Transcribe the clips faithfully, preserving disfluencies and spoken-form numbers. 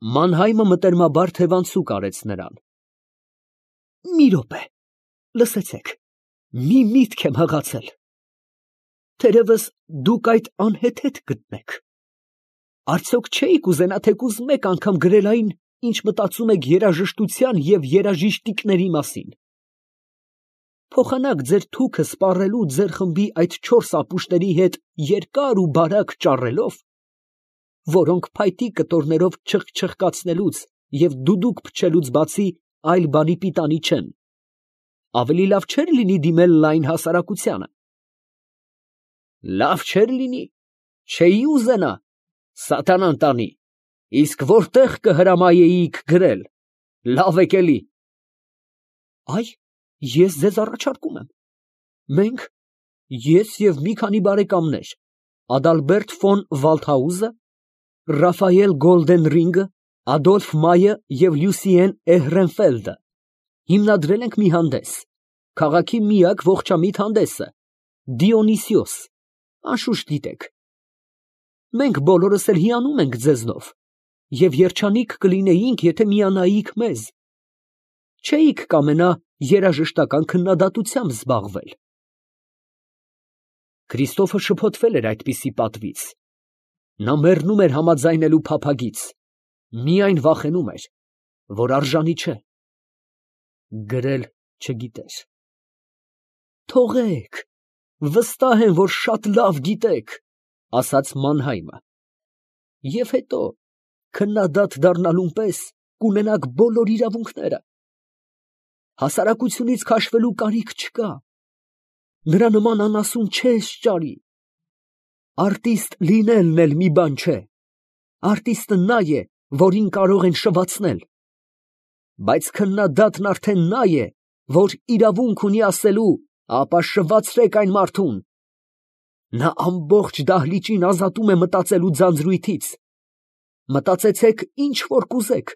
Մանհայմը մտերմաբար թևանցուկ արեց նրան։ Մի րոպե, լսեցեք, մի միտք եմ հղացել. թերևս դուք այդ անհեթեթ գտնեք, արդյոք չէիք ուզենա թեկուզ մեկ անգամ գրել այն, ինչ մտածում եք երաժշտության և երաժիշտիկների մասին, փոխանակ ձեր թուքը սպառելու ձեր խմբի այդ չորս ապուշների հետ երկար ու բարակ ճառելով, որոնք փայտի կտորներով չխչխկացնելուց և դուդուկ փչելուց բացի այլ բանի պիտանի չեն, ավելի լավ չէր լինի դիմել լայն հասարակությանը։ Լավ չէր լինի, չէի ուզենա, սատանան տանի, իսկ որտեղ կհրամայեիք գրել, լավ եք էլի։ Այ, ես ձեզ առաջարկում եմ, մենք, ես և մի քանի բարեկամներ, Ադալբերտ ֆոն Վալդհաուզը, Ռաֆայել Գոլդենրինգը, Ադոլֆ Մայը և Լյուսիեն Էհրենֆելդը հիմնադրել ենք մի հանդես, քաղաքի միակ ողջամիտ հանդեսը, Դիոնիսիոս, անշուշտ գիտեք։ Մենք բոլորս էլ հիանում ենք ձեզնով և երջանիկ կլինեինք, եթե միանայիք մեզ, չէիք կամենա երաժշտական քննադատությամբ զբաղվել։ Քրիստոֆը շփոթվել էր այդպիսի պատվից, նա մեռնում էր համաձայնելու փափագից, միայն վախենում էր, որ արժանի չէ, գրել չգիտեր։ Թողեք, վստահ եմ, որ շատ լավ գիտեք, ասաց Մանհայմը, և հետո քննադատ դառնալուն պես կունենաք բոլոր իրավունքները, հասարակությունից քաշվելու կարիք չկա, նրա նման անասուն չես ճարի, արտիստ լինելն էլ մի բան չէ, արտիստը նա է, որին կարող են շվացնել, բայց քննադատն արդեն նա է, որ իրավունք ունի ասելու, ապա շվացրեք այն մարդուն, նա ամբողջ դահլիճին ազատում է մտածելու ձանձրույթից, մտածեցեք ինչ որ կուզեք,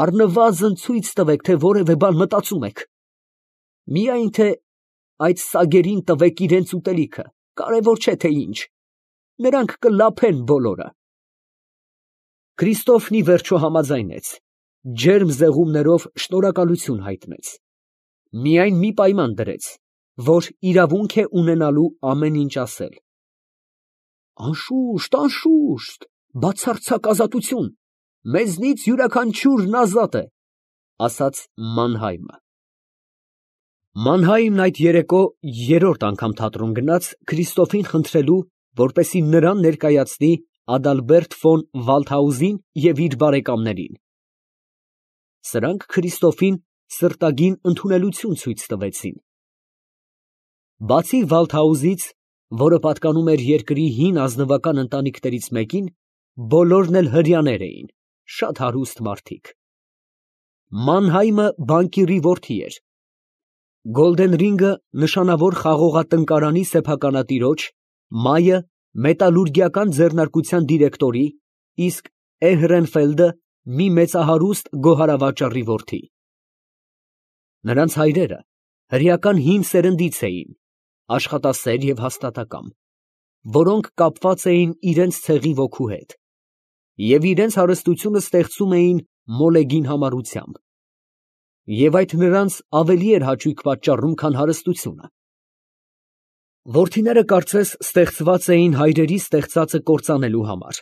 առնվազն ցույց տվեք, թե որևէ բան մտածում եք, միայն թե այդ սագերին տվեք իրենց ուտելիքը, կարևոր չէ թե ինչ, նրանք կլափեն բոլորը։ Քրիստոֆն ի վերջո համաձայնեց, ջերմ զեղումներով շնորհակալություն հայտնեց, միայն մի պայման դրեց, որ իրավունք է ունենալու ամեն ինչ ասել։ Անշուշտ, անշուշտ, բացարձակ ազատություն, մեզնից յուրաքանչյուրն ազատ է, ասաց Մանհայմը։ Մանհայմն այդ երեկո երրորդ անգամ թատրոն գնաց Քրիստոֆին խնդրելու, որպեսզի նրան ներկայացնի Ադալբերտ ֆոն Վալդհաուզին և իր բարեկամներին։ Սրանք Քրիստոֆին սրտագին ընդունելություն ցույց տվեցին։ Բացի Վալդհաուզից, որը պատկանում էր երկրի հին ազնվական ընտանիքներից մեկին, բոլորն էլ հրեաներ էին, շատ հարուստ մարդիկ։ Մանհայմը բանկիրի որդի էր։ Գոլդենրինգը նշանավոր խաղողատնկարանի սեփականատիրոջ, Մայը մետալուրգիական ձեռնարկության դիրեկտորի, իսկ Էհրենֆելդը մի մեծահարուստ գոհարավաճառի որդի։ Նրանց հայրերը հրեական հին սերնդից էին, աշխատասեր և հաստատակամ, որոնք կապված էին իրենց ցեղի ոգու հետ և իրենց հարստությունը ստեղծում էին մոլեգին համառությամբ, և այդ նրանց ավելի էր հաճույք պատճառում, քան հարստությունը։ Որդիները կարծես ստեղծված էին հայրերի ստեղծածը կործանելու համար։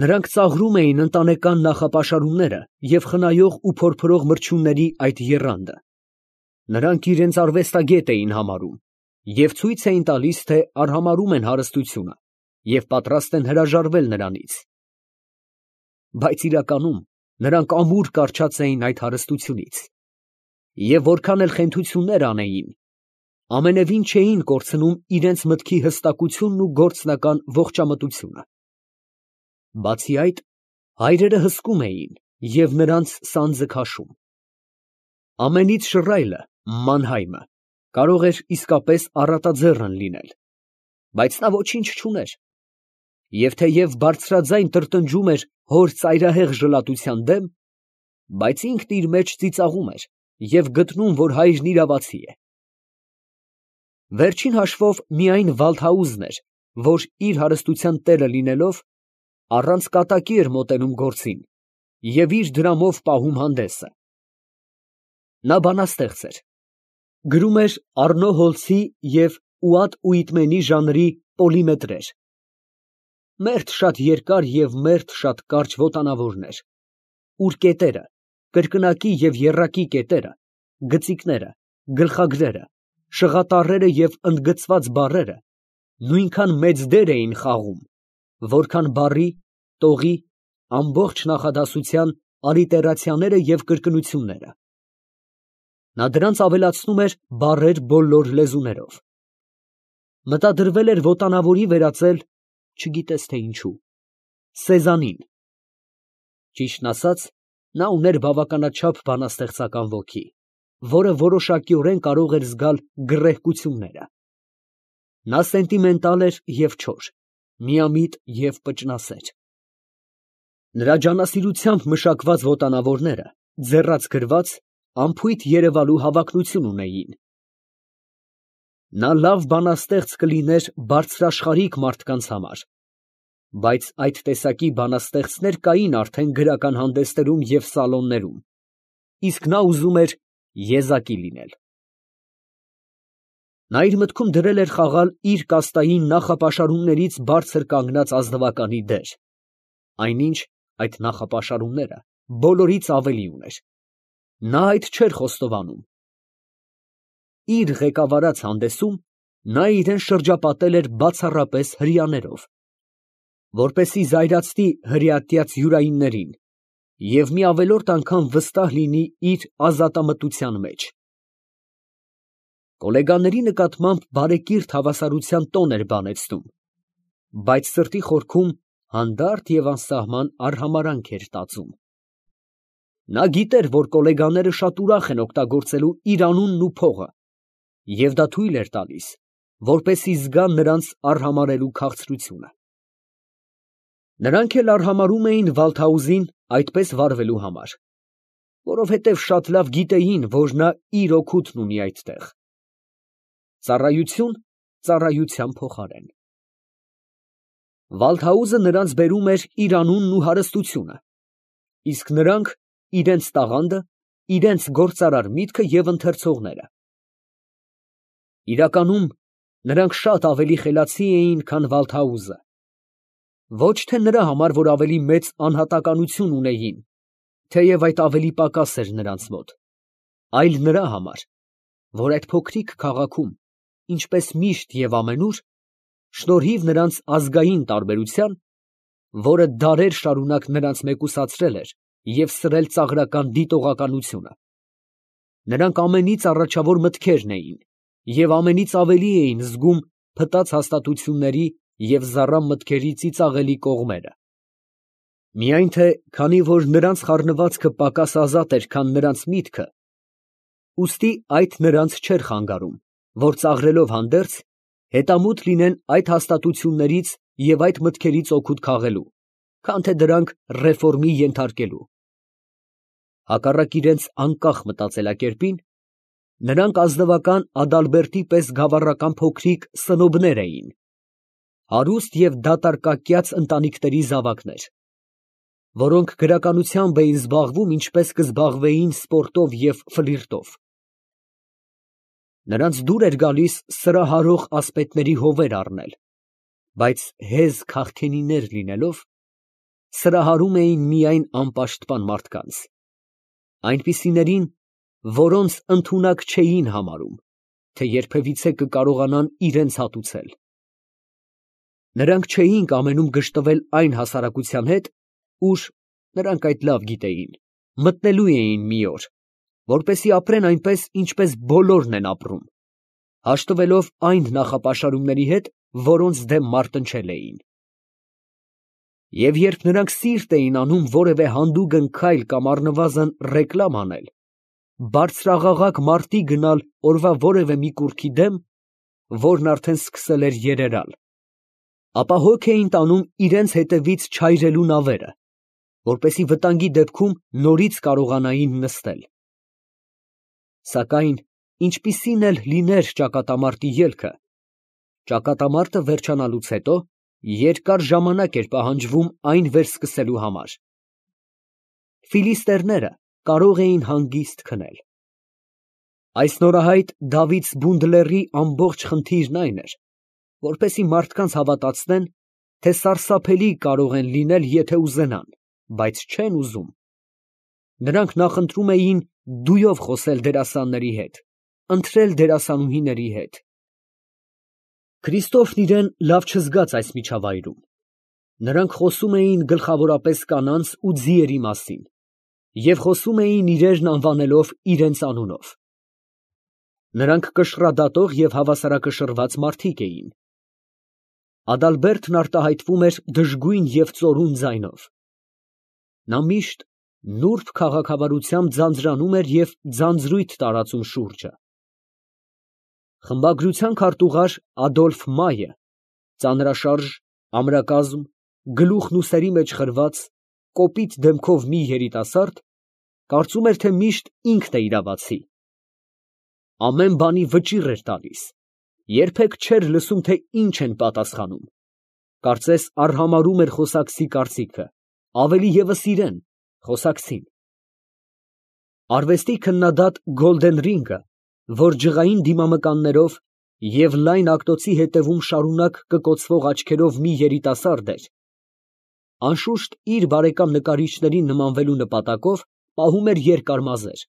Նրանք ծաղրում էին ընտանեկան նախապաշարումները և խնայող ու փորփրող մրջյունների այդ եռանդը։ Նրանք իրենց արվեստագետ էին համարում և ցույց էին տալիս, թե արհամարհում են հարստությունը և պատրաստ են հրաժարվել նրանից։ Բայց իրականում նրանք ամուր կառչած էին այդ հարստությունից, և որքան էլ խենթություններ անեին, ամենևին չէին կորցնում իրենց մտքի հստակությունն ու գործնական ողջամտությունը։ Բացի այդ, հայրերը հսկում էին և նրանց սանձը քաշում։ Ամենից շռայլը, Մանհայմը, կարող էր իսկապես առատաձեռն լինել, բայց նա ոչինչ չուներ, և թեև բարձրաձայն տրտնջում էր հոր ծայրահեղ ժլատության դեմ, բայց ինքն իր մեջ ծիծաղում էր և գտնում, որ հայրն իրավացի է։ Վերջին հաշվով միայն Վալդհաուզն էր, որ իր հարստության տերը լինելով, առանց կատակի էր մոտենում գործին և իր դրամով պահում հանդեսը։ Նա բանաստեղծ էր, գրում էր Առնո Հոլցի և Ուադ Ուիտմենի ժանրի պոլիմետրեր, մերթ շատ երկար և մերթ շատ կարճ ոտանավորներ, ուր կետերը, կրկնակի և եռակի կետերը, գծիկները, գլխագրերը, շղատառերը և ընդգծված բառերը նույնքան մեծ դեր էին խաղում, որքան բառի, տողի, ամբողջ նախադասության ալիտերացիաները և կրկնությունները։ Նա դրանց ավելացնում էր բառեր բոլոր լեզուներով։ Մտադրվել էր ոտանավորի վերածել, չգիտես թե ինչու, սեզանին։ Ճիշտն ասած, նա ուներ բավականաչափ բանաստեղծական ոգի, որը որոշակիորեն կարող էր զգալ գռեհկությունները։ Նա սենտիմենտալ էր և չոր, միամիտ և պճնասեր։ Նրա ջանասիրությամբ մշակված ոտանավորները, ձեռաց գրված, անփույթ երևալու հավակնություն ունեին։ Նա լավ բանաստեղծ կլիներ բարձրաշխարհիկ մարդկանց համար, բայց այդ տեսակի բանաստեղծներ կային արդեն գրական հանդեսներում և սալոններում, իսկ նա ուզում էր եզակի լինել։ Նա իր մտքում դրել էր խաղալ իր կաստային նախապաշարումներից բարձր կանգնած ազնվականի դեր, այնինչ այդ նախապաշարումները բոլորից ավելի ուներ։ Նա այդ չէր խոստովանում։ Իր ղեկավարած հանդեսում նա իրան շրջապատել էր բացառապես հրեաներով, որպեսզի զայրացնի հրեատյաց յուրայիններին և մի ավելորդ անգամ վստահ լինի իր ազատամտության մեջ։ Գոլեգաների նկատմամբ բարեկիրթ հավասարության տոն էր բանեցնում, բայց սրտի խորքում հանդարտ և անսահման արհամարհանք էր տածում։ Նա գիտեր, որ գոլեգաները շատ ուրախ են օգտագործելու իր անունն ու փողը, և դա թույլ էր տալիս, որպեսզի զգան նրանց արհամարհելու քաղցրությունը։ Նրանք էլ արհամարհում էին Վալթհաուզին այդպես վարվելու համար, որովհետև շատ լավ գիտեին, որ նա իր օգուտն ունի այդտեղ։ Ծառայություն ծառայության փոխարեն։ Վալթհաուզը նրանց բերում էր իր անունն ու հարստությունը, իսկ նրանք իրենց տաղանդը, իրենց գործարար միտքը և ընթերցողները։ Իրականում, նրանք շատ ավելի խելացի էին, քան Վալթհաուզը, ոչ թե նրա համար, որ ավելի մեծ անհատականություն ունեին, թեև այդ ավելի պակաս էր նրանց մոտ, այլ նրա համար, որ այդ փոքրիկ քաղաքում, ինչպես միշտ և ամենուր, շնորհիվ նրանց ազգային տարբերության, որը դարեր շարունակ նրանց մեկուսացրել էր և սրել ծաղրական դիտողականությունը, նրանք ամենից առաջավոր մտքերն էին և ամենից ավելի էին զգում փտած հաստատությունների և զառամ մտքերի ծիծաղելի կողմերը։ Միայն թե քանի որ նրանց խառնվածքը պակաս ազատ էր, քան նրանց միտքը, ուստի այդ նրանց չէր խանգարում, որ ծաղրելով հանդերձ, հետամուտ լինեն այդ հաստատություններից և այդ մտքերից օգուտ քաղելու, քան թե դրանք ռեֆորմի ենթարկելու։ Հակառակ իրենց անկախ մտածելակերպին, նրանք ազնվական Ադալբերտի պես գավառական փոքրիկ սնոբներ էին, հարուստ և դատարկակյաց ընտանիքների զավակներ, որոնք գրականությամբ էին զբաղվում, ինչպես կզբաղվեին սպորտով և ֆլիրտով։ Նրանց դուր էր գալիս սրահարող ասպետների հովեր առնել, բայց հեզ քաղքենիներ լինելով, սրահարում էին միայն անպաշտպան մարդկանց, այնպիսիներին, որոնց ընդունակ չէին համարում, թե երբևիցե կկարողանան իրենց հատուցել։ Նրանք չէին կամենում գժտվել այն հասարակության հետ, ուր, նրանք այդ լավ գիտեին, մտնելու էին մի օր, որպեսզի ապրեն այնպես, ինչպես բոլորն են ապրում, հաշտվելով այն նախապաշարումների հետ, որոնց դեմ մարտնչել էին։ Եվ երբ նրանք սիրտ էին անում որևէ հանդուգն քայլ կամ առնվազն ռեկլամ անել, բարձրաղաղակ մարտի գնալ օրվա որևէ մի կուռքի դեմ, որն արդեն սկսել էր երերալ, ապա հոգ էին տանում իրենց հետևից չայրելու նավերը, որպեսզի վտանգի դեպքում նորից կարողանային նստել։ Սակայն ինչպիսին էլ լիներ ճակատամարտի ելքը, ճակատամարտը վերջանալուց հետո Երկար ժամանակ էր պահանջվում այն վերսկսելու համար։ Ֆիլիստերները կարող էին հանգիստ քնել։ Այս նորահայտ Դավիթ Բունդլերի ամբողջ խնդիրն այն էր, որպեսզի մարդկանց հավատացնեն, թե սարսափելի կարող են լինել, եթե ուզենան, բայց չեն ուզում։ Նրանք նախընտրում էին դույով խոսել դերասանների հետ, ընթրել դերասանուհիների հետ։ Քրիստոֆն իրեն լավ չզգաց այս միջավայրում։ Նրանք խոսում էին գլխավորապես կանանց ու ձիերի մասին և խոսում էին իրերն անվանելով իրենց անունով։ Նրանք կշռադատող և հավասարակշռված մարդիկ էին։ Ադալբերտն արտահայտվում էր դժգույն և ծորուն ձայնով։ Նա միշտ նուրբ քաղաքավարությամբ ձանձրանում էր և ձանձրույթ տարածում շուրջը։ Խմբագրության քարտուղար Ադոլֆ Մայը, ծանրաշարժ, ամրակազմ, գլուխն ուսերի մեջ խրված, կոպիտ դեմքով մի երիտասարդ, կարծում էր, թե միշտ ինքն է իրավացի։ Ամեն բանի վճիռ էր տալիս, երբեք չէր լսում, թե ինչ են պատասխանում, կարծես արհամարհում էր խոսակցի կարծիքը, ավելի ևս իրեն, խոսակցին։ Արվեստի քննադատ Գոլդենրինգը, որ ջղային դիմամկաններով և լայն ակտոցի հետևում շարունակ կկոցվող աչքերով մի երիտասարդ էր, անշուշտ իր բարեկամ նկարիչներին նմանվելու նպատակով պահում էր երկար մազեր,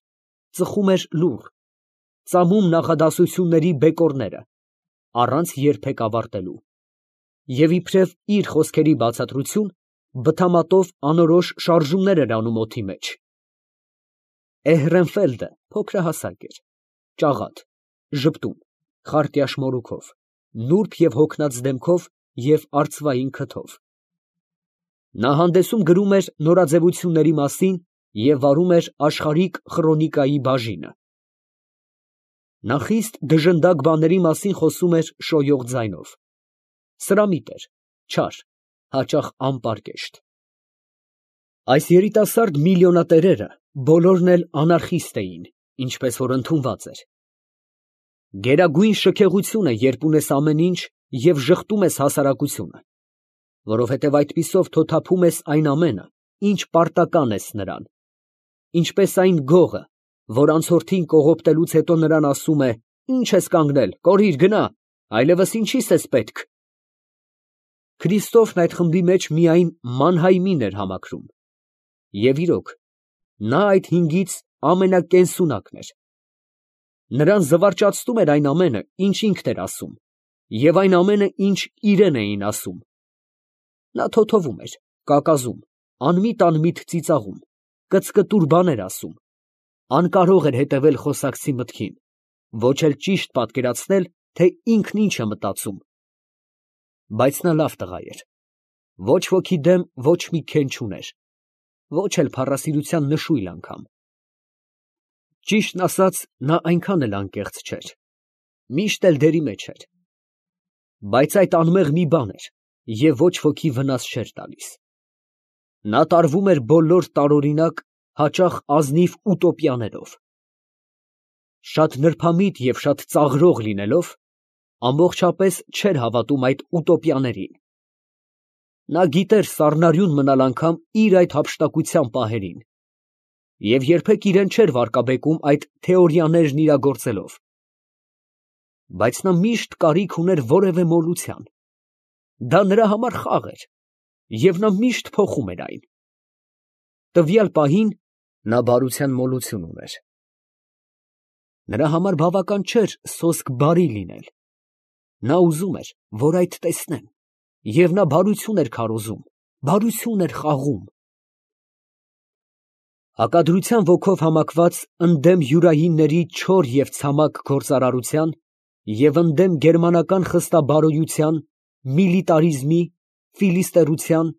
ծխում էր լուռ, ծամում նախադասությունների բեկորները, առանց երբեք ավարտելու, և իբրև իր խոսքերի բացատրություն, բթամատով անորոշ շարժումներ էր անում օդի մեջ։ Էհրենֆելդը փոքրահասակ էր, ճաղատ, ժպտուն, խարտյաշ մորուքով, նուրբ և հոգնած դեմքով և արծվային քթով։ Նա հանդեսում գրում էր նորաձևությունների մասին և վարում էր աշխարհիկ խրոնիկայի բաժինը։ Նա խիստ դժնդակ բաների մասին խոսում էր շոյող ձայնով։ Սրամիտ էր, չար, հաճախ անպարկեշտ։ Այս երիտասարդ միլիոնատերերը բոլորն էլ անարխիստ էին, ինչպես որ ընդունված էր։ Գերագույն շքեղություն է, երբ ունես ամեն ինչ և ժխտում ես հասարակությունը, որովհետև այդպիսով թոթափում ես այն ամենը, ինչ պարտական ես նրան, ինչպես այն գողը, որ անցորդին կողոպտելուց հետո նրան ասում է. «Ի՞նչ ես կանգնել, կորիր, գնա, այլևս ինչի՞ս ես պետք»։ Քրիստոֆն այդ խմբի մեջ միայն Մանհայմին էր համակրում։ Եվ իրոք, նա այդ հինգից ամենակենսունակն էր։ Նրան զվարճացնում էր այն ամենը, ինչ ինքն էր ասում, և այն ամենը, ինչ իրեն էին ասում։ Նա թոթովում էր, կակազում, անմիտ֊անմիտ ծիծաղում, կծկտուր բաներ ասում, անկարող էր հետևել խոսակցի մտքին, ոչ էլ ճիշտ պատկերացնել, թե ինքն ինչ է մտածում։ Բայց նա լավ տղա էր, ոչ ոքի դեմ ոչ մի քեն չուներ, ոչ էլ փառասիրության նշույլ անգամ։ Ճիշտն ասած, նա այնքան էլ անկեղծ չէր, միշտ էլ դերի մեջ էր։ Բայց այդ անմեղ մի բան էր, և ոչ ոքի վնաս չէր տալիս։ Նա տարվում էր բոլոր տարօրինակ, հաճախ ազնիվ ուտոպիաներով։ Շատ նրբամիտ և շատ ծաղրող լինելով, ամբողջապես չէր հավատում այդ ուտոպիաներին։ Նա գիտեր սառնարյուն մնալ անգամ իր այդ հափշտակության պահերին և երբեք իրեն չէր վարկաբեկում այդ թեորիաներն իրագործելով։ Բայց նա միշտ կարիք ուներ որևէ մոլության։ Դա նրա համար խաղ էր, և նա միշտ փոխում էր այն։ Տվյալ պահին նա բարության մոլություն ուներ։ Նրա համար բավական չէր սոսկ բարի լինել։ Նա ուզում էր, որ այդ տեսնեն, և նա բարություն էր քարոզում, բարություն էր խաղում։ Հակադրության ոգով համակված ընդդեմ յուրայինների չոր և ցամաք գործարարության և ընդդեմ գերմանական խստաբարոյության, միլիտարիզմի, ֆիլիստերության,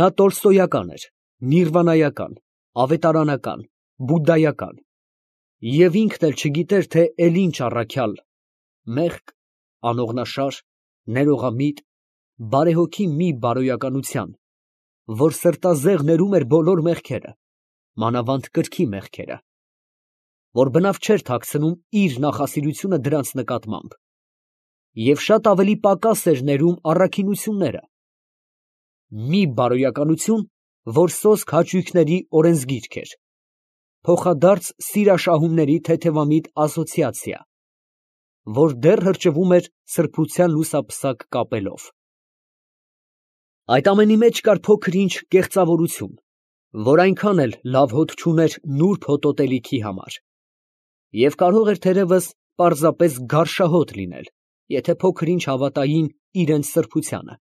նա տոլստոյական էր, նիրվանայական, ավետարանական, բուդդայական, և ինքն էլ չգիտեր, թե էլ ինչ առաքյալ, մեղք, անողնաշար, ներողամիտ, բարեհոգի մի բարոյականության, որ սրտազեղ ներում էր բոլոր մեղքերը, մանավանդ կրքի մեղքերը, որ բնավ չէր թաքցնում իր նախասիրությունը դրանց նկատմամբ։ և շատ ավելի պակաս էր ներում առաքինությունները, մի բարոյականություն, որ սոսկ հաճույքների օրենսգիրք էր, փոխադարձ սիրաշահումների թեթևամիտ ասոցիացիա, որ դեռ հրճվում էր սրբության լուսապսակ կապելով։ Այդ ամենի մեջ կար փոքր֊ինչ կեղծավորություն, որ այնքան էլ լավ հոտ չուներ նուրբ հոտոտելիքի համար, և կարող էր թերևս պարզապես գարշահոտ լինել, եթե փոքր֊ինչ հավատային իրենց սրբությանը,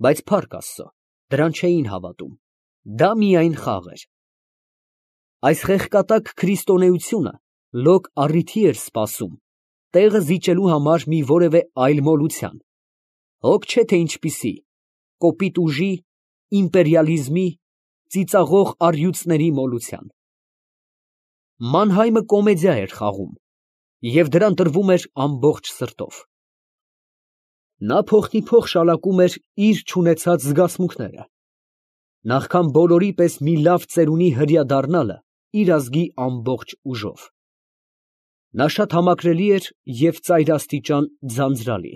բայց փառք Աստծո, դրան չէին հավատում, դա միայն խաղ էր։ Այս խեղկատակ քրիստոնեությունը լոկ առիթի էր սպասում տեղը զիջելու համար մի որևէ այլ մոլության, հոգ չէ թե ինչպիսի, կոպիտ ուժի, իմպերիալիզմի, ծիծաղող առյուծների մոլության։ Մանհայմը կոմեդիա էր խաղում, և դրան տրվում էր ամբողջ սրտով։ Նա փոխնիփոխ շալակում էր իր չունեցած զգացմունքները, նախքան բոլորի պես մի լավ ծերունի հրեա դառնալը իր ազգի ամբողջ ուժով։ Նա շատ համակրելի էր և ծայրաստիճան ձանձրալի։